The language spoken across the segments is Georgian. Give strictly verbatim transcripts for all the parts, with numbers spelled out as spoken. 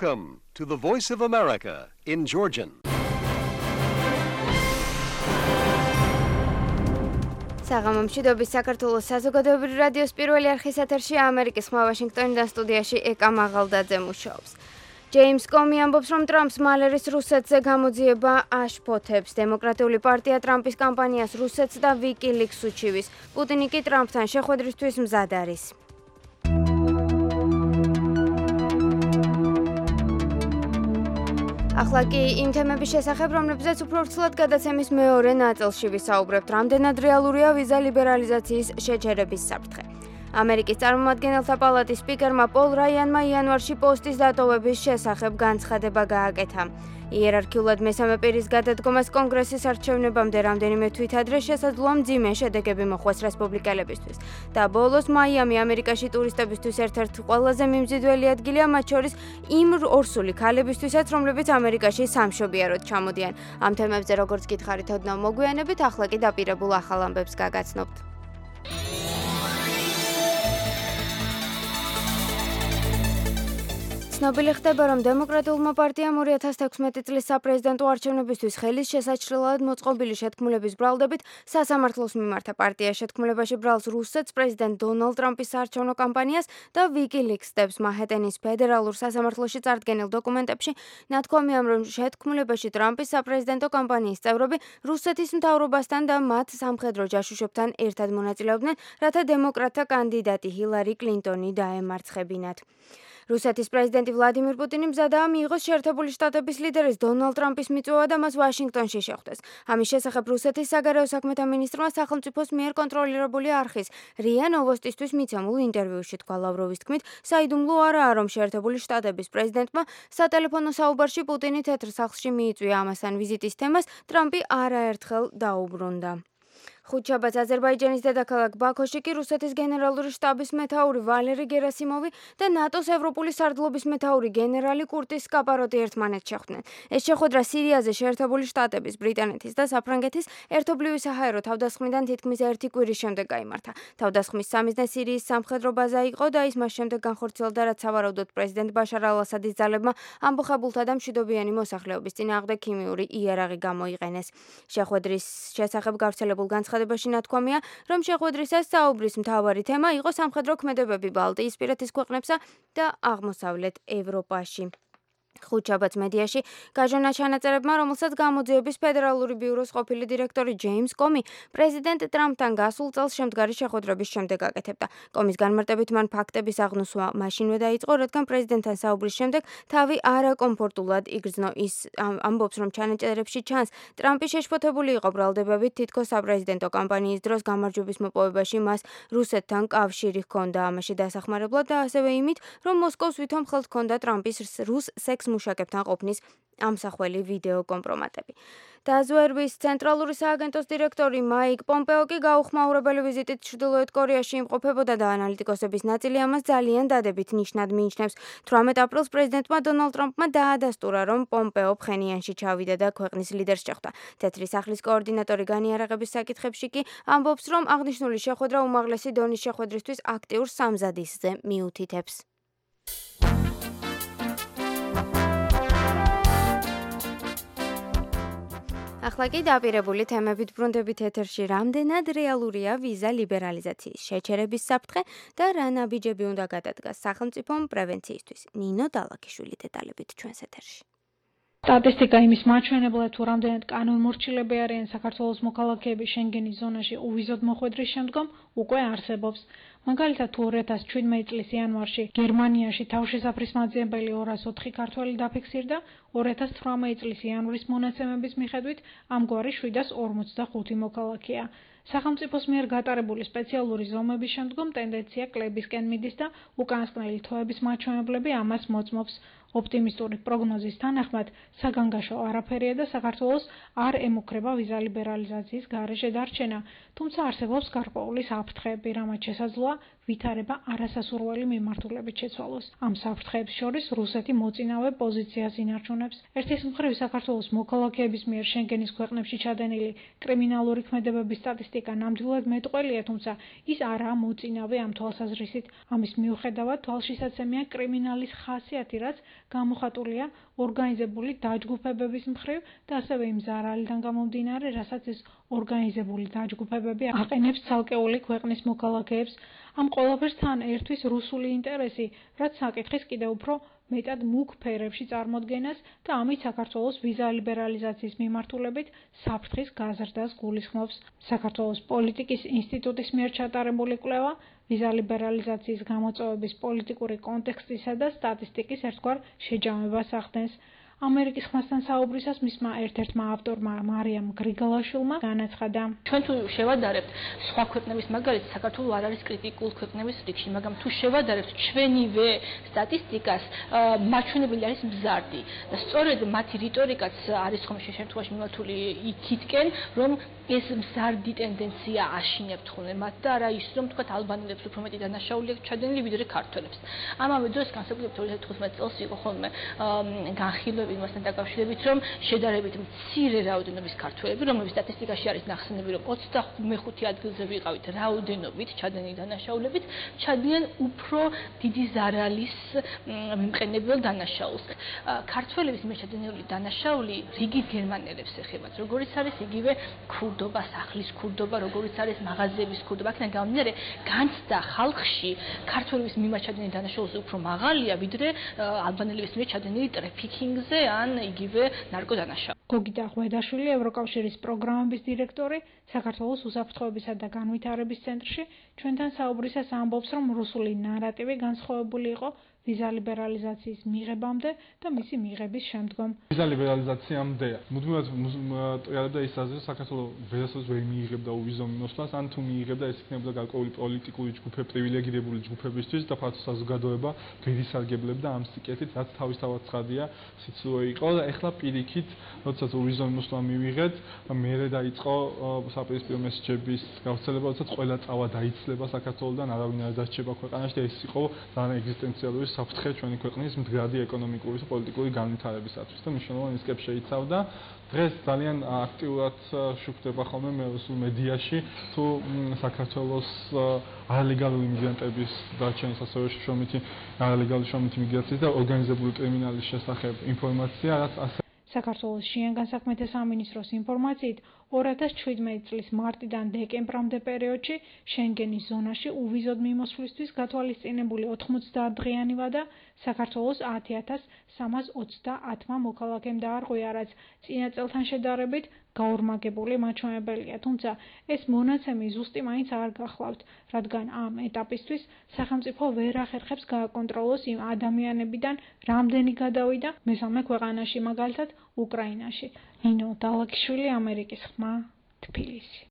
Welcome to the Voice of America in Georgian. საღამომშვიდობის საქართველოს საზოგადოებრივი რადიოს პირველი არხის ეთერში ამერიკის ხმა ვაშინგტონიდან სტუდიაში ეკა მაღალდაძე მუშაობს. ჯეიმს კომი ამბობს, რომ ტრამპს მალერის რუსეთზე გამოძიება აშფოთებს. დემოკრატიული პარტია ტრამპის კამპანიას რუსეთს და ვიკილიქს უჩივის. პუტინი კი ტრამპთან შეხვედრისთვის მზად არის. ახლა კი იმ თემების შესახებ, რომლებზეც უფრო ვრცლად გადაცემის მეორე ნაწილში ვისაუბრებთ, რამდენად რეალურია ვიზა ლიბერალიზაციის შეჩერების საფრთხე. ამერიკის წარმომადგენელთა პალატის სპიკერმა პოლ რაიანმა იანვარში პოსტის დატოვების შესახებ განცხადება გააკეთა. იერარქიულად მესამე პირის გადადგომას კონგრესის არჩევნებამდე რამდენიმე თვითადრე შესაძლოა მძიმე შედეგები მოხვდეს რესპუბლიკელებისთვის. და ბოლოს მაიამი ამერიკაში ტურისტებისთვის ერთ-ერთი ყველაზე მიმზიდველი ადგილია, მათ შორის იმ ორსული ქალებისთვისაც, რომლებიც ამერიკაში სამშობიაროდ ჩამოდიან. ამ თემებზე როგორც გითხარით, ოდნავ მოგვიანებით, ახლა კი დაპირებულ ახალ ამბებს გაგაცნობთ. ცნობილი ხდება, რომ დემოკრატიულმა პარტიამ ორი ათას თექვსმეტი წლის საპრეზიდენტო არჩევნებისთვის ხელის შესაჩრებლად მოწყობილი შეთქმულების ბრალდებით სასამართლოს მიმართა. პარტია შეთქმულებაში ბრალს რუსეთს, პრეზიდენტ დონალდ ტრამპის საარჩევნო კამპანიას და ვიკილიქს დებს. მანჰეტენის ფედერალურ სასამართლოში წარდგენილ დოკუმენტებში ნათქვამია, რომ შეთქმულებაში ტრამპის საპრეზიდენტო კამპანიის წევრები რუსეთის მთავრობასთან და მათ სამხედრო ჯაშუშებთან ერთად მონაწილეობდნენ, რათა დემოკრატთა კანდიდატი ჰილარი კლინტონი დაემარცხებინათ. რუსეთის პრეზიდენტი ვლადიმირ პუტინი მზადაა მიიღოს შეერთებული შტატების ლიდერის დონალდ ტრამპის მიწვევა და მას ვაშინგტონში შეხვდეს. ამის შესახებ რუსეთის საგარეო საქმეთა მინისტრმა სახელმწიფოს მიერ კონტროლირებული არხის რია ნოვოსტისთვის მიცემულ ინტერვიუში თქვა. ლავროვის თქმით, საიდუმლო არაა, რომ შეერთებული შტატების პრეზიდენტმა სატელეფონო საუბარში პუტინი თეთრ სახლში მიიწვია. ამასთან ვიზიტის თემას ტრამპი არაერთხელ დაუბრუნდა. ხუთშაბათს აზერბაიჯანის დედაქალაქ ბაქოში კი რუსეთის გენერალური შტაბის მეთაური ვალერი გერასიმოვი და ნატოს ევროპული სარდლობის მეთაური გენერალი კურტის სკაპაროტი ერთმანეთს შეხვდნენ. ეს შეხვედრა სირიაზე შეერთებული შტატების, ბრიტანეთის და საფრანგეთის ერთობლივი საჰაერო თავდასხმიდან თითქმის ერთი კვირის შემდეგ გაიმართა. თავდასხმის სამიზნე სირიის სამხედრო ბაზა იყო და ის მას შემდეგ განხორციელდა, რაც სავარაუდოდ პრეზიდენტ ბაშარ ალ-ასადის ძალებმა ამბოხებულთა და მშვიდობიანი მოსახლეობის წინააღმდეგ ქიმიური იარაღი გამოიყენეს. შეხვედრის შესახებ გავრცელებულ განცხადებაში ნათქვამია, რომ შეხვედრისას საუბრის მთავარი თემა იყო სამხედრო ქმედებები ბალტიისპირეთის ქვეყნებსა და აღმოსავლეთ ევროპაში. ხუთშაბათს მედიაში გაჟონა ჩანაწერებმა, რომელსაც გამოძიების ფედერალური ბიუროს ყოფილი დირექტორი ჯეიმს კომი პრეზიდენტ ტრამპთან გასულ წელს შემდგარი შეხვედრების შემდეგ აკეთებდა. კომის განმარტებით მან ფაქტების აღნოსვა მაშინვე დაიწყო, რადგან პრეზიდენტთან საუბრის შემდეგ თავი არაკომფორტულად იგრძნო. ის ამბობს, რომ ჩანაწერებში ჩანს, ტრამპი შეშფოთებული იყო ბრალდებებით, თითქოს საპრეზიდენტო კამპანიის დროს გამარჯვების მოპოვებაში მას რუსეთთან კავშირი ჰქონდა. ამაში დასახმარებლად და ასევე იმით, რომ მოსკოვს ვითომ ხელთ ჰქონდა ტრამპის რუს სექს მუშაკებთან ყოფნის ამსახველი ვიდეო კომპრომატები. დაზვერვის ცენტრალური სააგენტოს დირექტორი მაიკ პომპეო კი გაუხმაურებელი ვიზიტით ჩრდილოეთ კორეაში იმყოფებოდა და ანალიტიკოსების ნაწილი ამას ძალიან დადებით ნიშნად მიიჩნევს. თვრამეტ აპრილს პრეზიდენტმა დონალდ ტრამპმა დაადასტურა, რომ პომპეო ფხენიანში ჩავიდა და ქვეყნის ლიდერს შეხვდა. თეთრი სახლის კოორდინატორი განიარაღების საკითხებში კი ამბობს, რომ აღნიშნული შეხვედრა უმაღლესი დონის შეხვედრისთვის აქტიურ სამზადისზე მიუთითებს. ახლა კი დაპირებული თემებით ბრუნდებით ეთერში, რამდენად რეალურია ვიზა ლიბერალიზაციის შეჩერების საფრთხე და რა ნაბიჯები უნდა გადადგას სახელმწიფომ პრევენციისთვის. ნინო დალაქიშვილი დეტალებით ჩვენს ეთერში. სტატისტიკა იმის მაჩვენებლად, თუ რამდენად კანონმორჩილები არიან საქართველოს მოქალაქეები შენგენის ზონაში უვიზოდ მოხვედრის შემდგომ, უკვე არსებობს. მაგალითად, თუ ორი ათას შვიდმეტი წლის იანვარში გერმანიაში თავშესაფრის მაძიებელი ორას ოთხი ქართველი დაფიქსირდა, ორი ათას თვრამეტი წლის იანვრის მონაცემების მიხედვით ამგვარი შვიდას ორმოცდახუთი მოქალაქეა. სახელმწიფოს მიერ გატარებული სპეციალური ზომების შემდგომ ტენდენცია კლებისკენ მიდის და უკანასკნელი თვეების მაჩვენებლები ამას მოწმობს. ოპტიმისტური პროგნოზის თანახმად, საგანგაშო არაფერია და საქართველოს არ ემუქრება ვიზა ლიბერალიზაციის გარეშე დარჩენა, თუმცა არსებობს გარკვეული საფრთხეები, რამაც შესაძლოა ვითარება არასასურველი მიმართულებით შეცვალოს. ამ საფრთხეებს შორის რუსეთი მოწინავე პოზიციას ინარჩუნებს. ერთის მხრივ საქართველოს მოქალაქეების მიერ შენგენის ქვეყნებში ჩადენილი კრიმინალური ქმედებების სტატისტიკა ნამდვილად მეტყველია, თუმცა ის არაა მოწინავე ამ თვალსაზრისით. ამის მიუხედავად თვალშისაცემია კრიმინალის ხასიათი, რაც გამოხატულია ორგანიზებული დაჯგუფებების მხრივ და ასევე იმ ზარალიდან გამომდინარე, რასაც ეს ორგანიზებული დაჯგუფებები აყენებს ცალკეული ქვეყნის მოქალაქეებს. ამ ყველაფერს თან ერთვის რუსული ინტერესი, რაც საკითხის კიდევ უფრო მეტად მუქ ფერებში წარმოდგენას და ამით საქართველოს ვიზა ლიბერალიზაციის მიმართულებით საფრთხის გაზრდას გულისხმობს. საქართველოს პოლიტიკის ინსტიტუტის მიერ ჩატარებული კვლევა ვიზა ლიბერალიზაციის გამოწვევების პოლიტიკური კონტექსტისა და სტატისტიკის ერთგვარ შეჯამებას ახდენს. ამერიკის ხმასთან საუბრისას მისმა ერთ-ერთმა ავტორმა მარიამ გრიგალაშვილმა განაცხადა: ჩვენ თუ შევადარებთ სხვა ქვეყნების მაგალითად, საქართველო არ არის კრიტიკულ ქვეყნების რიგში, მაგრამ თუ შევადარებთ ჩვენივე სტატისტიკას, მაჩვენებელი არის მზარდი და სწორედ მათი რიტორიკაც არის ხომ შემთხვევაში მიმართული იქითკენ, რომ ეს მზარდი ტენდენცია აშინებთ ხოლმე მათ და არა ის, რომ თქვათ ალბანელებს უფრო მეტი დანაშაული აქვს ჩადენილი ვიდრე ქართველებს. ამავე დროს განსაკუთრებით ორი ათი თხუთმეტი წელს იყო ხოლმე განხილვები იმასთან დაკავშირებით, რომ შედარებით მცირე რაოდენობის ქართველები, რომლებიც სტატისტიკაში არის ნახსენები, რომ ოცდამეხუთე ადგილზე ვიყავით რაოდენობით ჩადენილი დანაშაულებით, ჩადიან უფრო დიდი ზარალის მიმყენებელ დანაშაულს. ქართველების მიერ ჩადენილი დანაშაული რიგით გერმანელებს ეხებათ, როგორიც არის იგივე ქურდობა, სახლის ქურდობა, როგორიც არის მაღაზიების ქურდობა. აქედან გამომდინარე, განცდა ხალხში ქართველების მიმართ ჩადენილი დანაშაულზე უფრო მაღალია, ვიდრე ალბანელების მიერ ჩადენილი ტრაფიკინგზე ან იგივე ნარკოდანაშაული. გოგიტა ღვედაშვილი, ევროკავშირის პროგრამების დირექტორი, საქართველოს უსაფრთხოებისა და განვითარების ცენტრში ჩვენთან საუბრისას ამბობს, რომ რუსული ნარატივი განსხვავებული იყო ვიზა ლიბერალიზაციის მიღებამდე და მისი მიღების შემდგომ. ვიზა ლიბერალიზაციამდე მუდმივად ტრიალებდა ის აზრი, საქართველოს ვერასოდეს ვერ მიიღებდა უვიზო მიმოსვლას, ან თუ მიიღებდა, ეს იქნებოდა გარკვეული პოლიტიკური ჯგუფები, პრივილეგირებული ჯგუფებისთვის და ფართო საზოგადოება გერისარგებლებდა ამ სიკეთით, რაც თავისთავად ცხადია, სიცრუე იყო და ეხლა პირიქით, როდესაც უვიზო მიმოსვლა მივიღეთ, მერე დაიწყო საპირისპირო მესეჯების გავრცელება, როდესაც ყველა წავა დაიცლება საქართველოსთან, არავინ არ დასჭება ქვეყანაში და ეს იყო ძალიან ეგზისტენციალური საფრთხე ჩვენი ქვეყნის მდგრადი ეკონომიკური და პოლიტიკური განვითარებისათვის და მნიშვნელოვანი რისკებს შეიცავდა. დღეს ძალიან აქტიურად შუქდება ხოლმე რუსულ მედიაში თუ საქართველოს არალეგალური მიგრანტების დარჩენის, ასევე შრომითი არალეგალური შრომითი მიგრაციის და ორგანიზებული კრიმინალის შესახებ ინფორმაცია, რაც ასე საქართველოს შინაგან საქმეთა სამინისტროს ინფორმაციით, ორი ათას შვიდმეტი წლის მარტიდან დეკემბრამდე პერიოდში შენგენის ზონაში უვიზოდ მიმოსვლისთვის გათვალისწინებული ოთხმოცდაათ დღიანი ვადა საქართველოს ათი ათას სამას ოცდაათმა მოქალაქემ დაარღვია, რაც წინა წელთან შედარებით გაორმაგებული მაჩვენებელია, თუმცა ეს მონაცემი ზუსტი მაინც არ გახლავთ, რადგან ამ ეტაპისთვის სახელმწიფო ვერ ახერხებს გააკონტროლოს იმ ადამიანებიდან რამდენი გადავიდა მესამე ქვეყანაში, მაგალითად უკრაინაში. ნინო დალაკიშვილი, ამერიკის ხმა, თბილისი.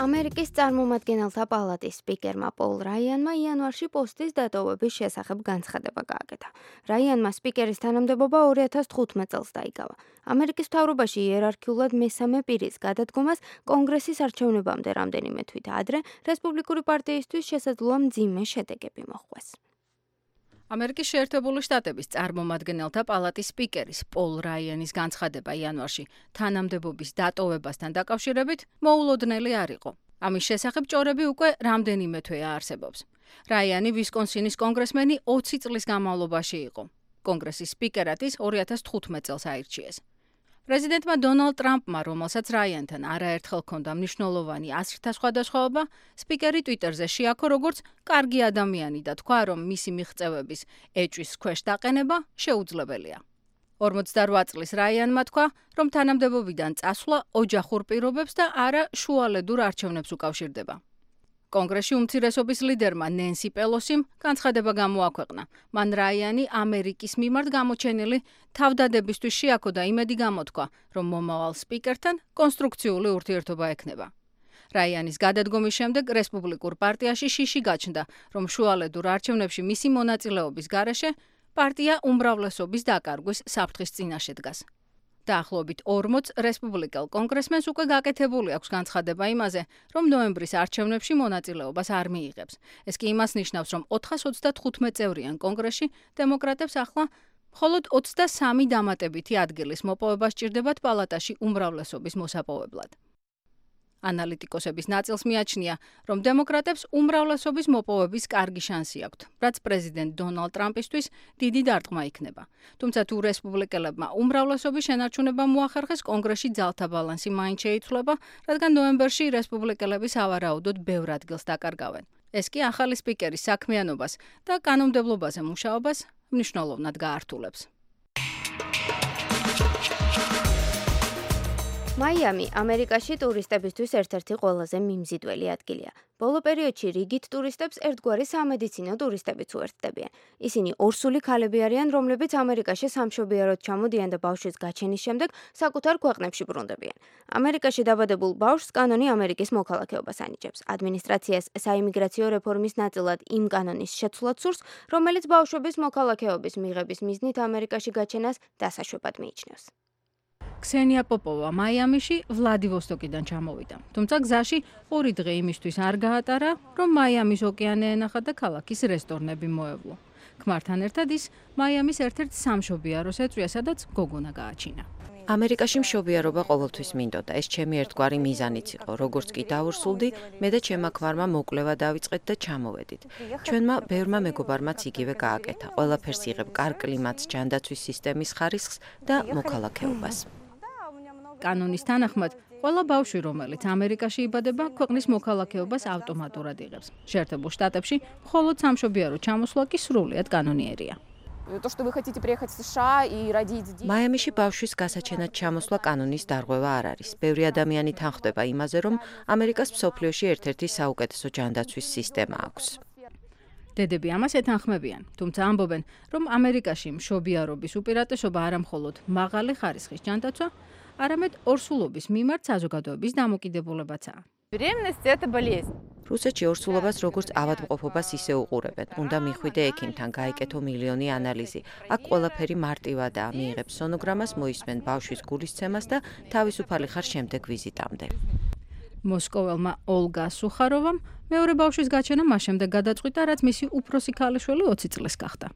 ამერიკის წარმომადგენელთა პალატის სპიკერმა პოლ რაიანმა იანვარში პოსტის დატოვების შესახებ განცხადება გააკეთა. რაიანმა სპიკერის თანამდებობა ორი ათას თხუთმეტ წელს დაიკავა. ამერიკის მთავრობაში იერარქიულად მესამე პირის გადადგომას კონგრესის არჩევნებამდე რამდენიმე თვით ადრე რესპუბლიკური პარტიისთვის შესაძლოა მძიმე შედეგები მოჰყვეს. ამერიკის შეერთებული შტატების წარმომადგენელთა პალატის სპიკერის პოლ რაიანის განცხადება იანვარში თანამდებობის დატოვებასთან დაკავშირებით მოულოდნელი არ იყო. ამის შესახებ ჭორები უკვე რამდენიმე თვეა არსებობს. რაიანი ვისკონსინის კონგრესმენი ოცი წლის განმავლობაში იყო. კონგრესის სპიკერად ის ორი ათას თხუთმეტ წელს აირჩიეს. პრეზიდენტმა დონალდ ტრამპმა, რომელსაც რაიანთან არაერთხელ ჰქონდა მნიშვნელოვანი აზრთა სხვადასხვაობა, სპიკერი ტვიტერზე შეაქო როგორც კარგი ადამიანი და თქვა, რომ მისი მიღწევების ეჭვის ქვეშ დაყენება შეუძლებელია. ორმოცდარვა წლის რაიანმა თქვა, რომ თანამდებობიდან წასვლა ოჯახურ პირობებს და არა შუალედურ არჩევნებს უკავშირდება. კონგრესში უმცირესობის ლიდერმა ნენსი პელოსიმ განცხადება გამოაქვეყნა. მან რაიანი ამერიკის მიმართ გამოჩენილი თავდადებისთვის შეაქო და იმედი გამოთქვა, რომ მომავალ სპიკერთან კონსტრუქციული ურთიერთობა ექნება. რაიანის გადადგომის შემდეგ რესპუბლიკურ პარტიაში შიში გაჩნდა, რომ შუალედურ არჩევნებში მისი მონაწილეობის გარეშე პარტია უმრავლესობის დაკარგვის საფრთხის წინაშე დგას. დაახლოებით ორმოც რესპუბლიკელ კონგრესმენს უკვე გაკეთებული აქვს განცხადება იმაზე, რომ ნოემბრის არჩევნებში მონაწილეობას არ მიიღებს. ეს კი იმას ნიშნავს, რომ ოთხას ოცდათხუთმეტ წევრიან კონგრესში დემოკრატებს ახლა მხოლოდ ოცდასამი დამატებითი ადგილის მოპოვება სჭირდებათ პალატაში უმრავლესობის მოსაპოვებლად. ანალიტიკოსების ნაწილს მიაჩნია, რომ დემოკრატებს უმრავლესობის მოპოვების კარგი შანსი აქვთ, რაც პრეზიდენტ დონალდ ტრამპისთვის დიდი დარტყმა იქნება. თუმცა თუ რესპუბლიკელებმა უმრავლესობის შენარჩუნება მოახერხეს, კონგრესში ძალთა ბალანსი მაინც შეიცვლება, რადგან ნოემბერში რესპუბლიკელები სავარაუდოდ ბევრ ადგილს დაკარგავენ. ეს კი ახალი სპიკერის საქმიანობას და კანონმდებლობაზე მუშაობას მნიშვნელოვნად გაართულებს. მაიამი ამერიკაში ტურისტებისთვის ერთ-ერთი ყველაზე მიმზიდველი ადგილია. ბოლო პერიოდში რიგით ტურისტებს ერთგვარი სამედიცინო ტურისტებიც უერთდებიან. ისინი ორსული ქალები არიან, რომლებიც ამერიკაში სამშობიაროდ ჩამოდიან და ბავშვის გაჩენის შემდეგ საკუთარ ქვეყნებში ბრუნდებიან. ამერიკაში დაბადებულ ბავშვს კანონი ამერიკის მოქალაქეობას ანიჭებს. ადმინისტრაციას საიმიგრაციო რეფორმის ნაწილად იმ კანონის შეცვლაც სურს, რომელიც ბავშვების მოქალაქეობის მიღების მიზნით ამერიკაში გაჩენას დასაშვებად მიიჩნევს. ქსენია პოპოვა მაიამიში ვლადივოსტოკიდან ჩამოვიდა. თუმცა გზაში ორი დღე იმისთვის არ გაატარა, რომ მაიამის ოკეანე ენახა და ქალაქის რესტორნები მოევლო. ქმართან ერთად ის მაიამის ერთ-ერთ სამშობიაროს ეწვია, სადაც გოგონა გააჩინა. ამერიკაში მშობიარობა ყოველთვის მინდოდა. ეს ჩემი ერთგვარი მიზანიც იყო. როგორც კი დავრსულდი, მე და ჩემმა ქმარმა მოკვლევა დავიწყეთ და ჩამოვედით. ჩვენმა ბევრმა მეგობარმაც იგივე გააკეთა. ყველაფერს იღებ კარგ კლიმატს, ჯანდაცვის სისტემის ხარისხს და მოქალაქეობას. კანონის თანახმად, ყველა ბავშვი, რომელიც ამერიკაში იბადება, ქვეყნის მოქალაქეობას ავტომატურად იღებს. შეერთებულ შტატებში მხოლოდ სამშობიარო ჩამოსვლა კი სრულიად კანონიერია. მაიამიში ბავშვის გასაჩენად ჩამოსვლა კანონის დარღვევა არ არის. ბევრი ადამიანი თანხდება იმაზე, რომ ამერიკას მსოფლიოში ერთ-ერთი საუკეთესო ჯანდაცვის სისტემა აქვს. დედები ამას ეთანხმებიან, თუმცა ამბობენ, რომ ამერიკაში მშობიარობის უპირატესობა არა მხოლოდ მაღალი ხარისხის ჯანდაცვა, არამედ ორსულობის მიმართ საზოგადოების დამოკიდებულებაცაა. რუსეთში ორსულობას როგორც ავადმყოფობას ისე უყურებენ. უნდა მიხვიდე ექიმთან, გაიკეთო მილიონი ანალიზი. აქ ყველაფერი მარტივადაა, მიიღებ სონოგრამას, მოისმენ ბავშვის გულისცემას და თავისუფალი ხარ შემდეგ ვიზიტამდე. მოსკოველმა ოლგა სუხაროვამ მეორე ბავშვის გაჩენა მას შემდეგ გადაწყვიტა, რაც მისი უფროსი ქალიშვილი ოცი წლის გახდა.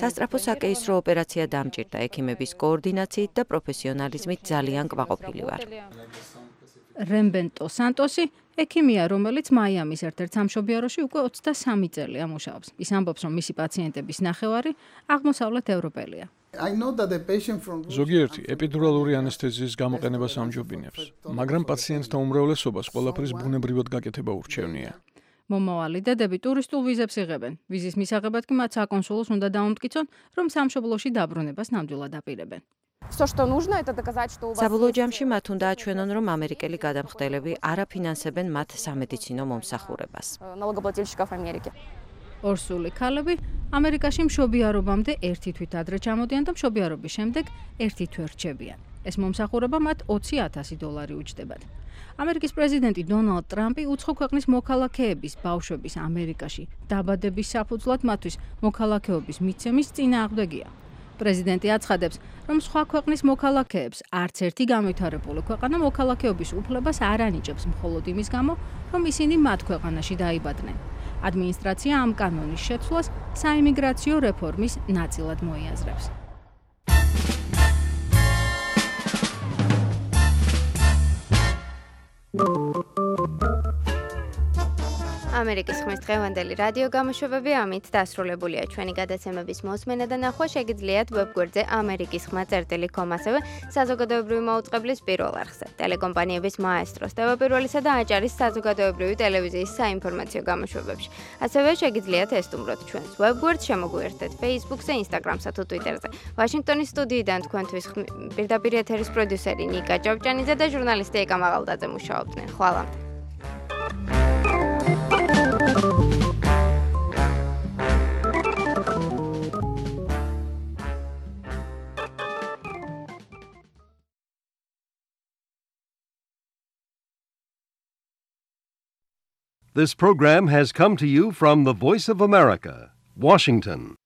სასწრაფო საკეისრო ოპერაცია დამჭირდა, ექიმების კოორდინაციით და პროფესიონალიზმით ძალიან კმაყოფილი ვარ. რემბენტო სანტოსი ექიმია, რომელიც მაიამის ერთ-ერთ სამშობიაროში უკვე ოცდასამი წელია მუშაობს. ის ამბობს, რომ მისი პაციენტების ნახევარი აღმოსავლეთ ევროპელია. ზოგიერთი ეპიდურალური ანესთეზიის გამოყენებას ამჯობინებს, მაგრამ პაციენტთა უმრავლესობას ყველაფრის ბუნებრივად გაკეთება ურჩევნია. მომავალი დედები ტურისტულ ვიზებს იღებენ. ვიზის მისაღებად კი მათ საკონსულოს უნდა დაუმტკიცონ, რომ სამშობლოში დაბრუნებას ნამდვილად აპირებენ. საბოლოო ჯამში მათ უნდა აჩვენონ, რომ ამერიკელი გადამხდელები არ აფინანსებენ მათ სამედიცინო მომსახურებას. ორსული ქალები ამერიკაში მშობიარობამდე ერთი თვით ადრე ჩამოდიან და მშობიარობის შემდეგ ერთი თვე რჩებიან. ეს მომსახურება მათ ოცი ათასი დოლარი უჯდებათ. ამერიკის პრეზიდენტი დონალდ ტრამპი უცხო ქვეყნის მოქალაქეების ბავშვების ამერიკაში დაბადების საფუძვლად მათთვის მოქალაქეობის მიცემის წინააღმდეგია. პრეზიდენტი აცხადებს, რომ სხვა ქვეყნის მოქალაქეებს არც ერთი განვითარებული ქვეყანა მოქალაქეობის უფლებას არ ანიჭებს მხოლოდ იმის გამო, რომ ისინი მათ ქვეყანაში დაიბადნენ. ადმინისტრაცია ამ კანონის შეცვლას საიმიგრაციო რეფორმის ნაწილად მოიაზრებს. ამერიკის ხმის დღევანდელი რადიო გამოშვებები ამით დასრულებულია. ჩვენი გადაცემების მოსმენა და ნახვა შეგიძლიათ ვებგვერდზე ამერიკის ხმა წერტილი კომ, ასევე საზოგადოებრივი მაუწყებლის პირველ არხზე. ტელეკომპანიების მაესტროს, ტევაპირველისა და აჭარის საზოგადოებრივი ტელევიზიის საინფორმაციო გამოშვებებში. ასევე შეგიძლიათ ესტუმროთ ჩვენს ვებგვერდს, შემოგვიერთდეთ Facebook-ზე, Instagram-სა თუ Twitter-ზე. ვაშინგტონის სტუდიიდან თქვენთვის პირდაპირ ეთერის პროდიუსერი ნიკა ჭავჭანიძე და ჟურნალისტი ეკა მაღალდაძე მუშაობდნენ. ხვალამდე. This program has come to you from the Voice of America, Washington.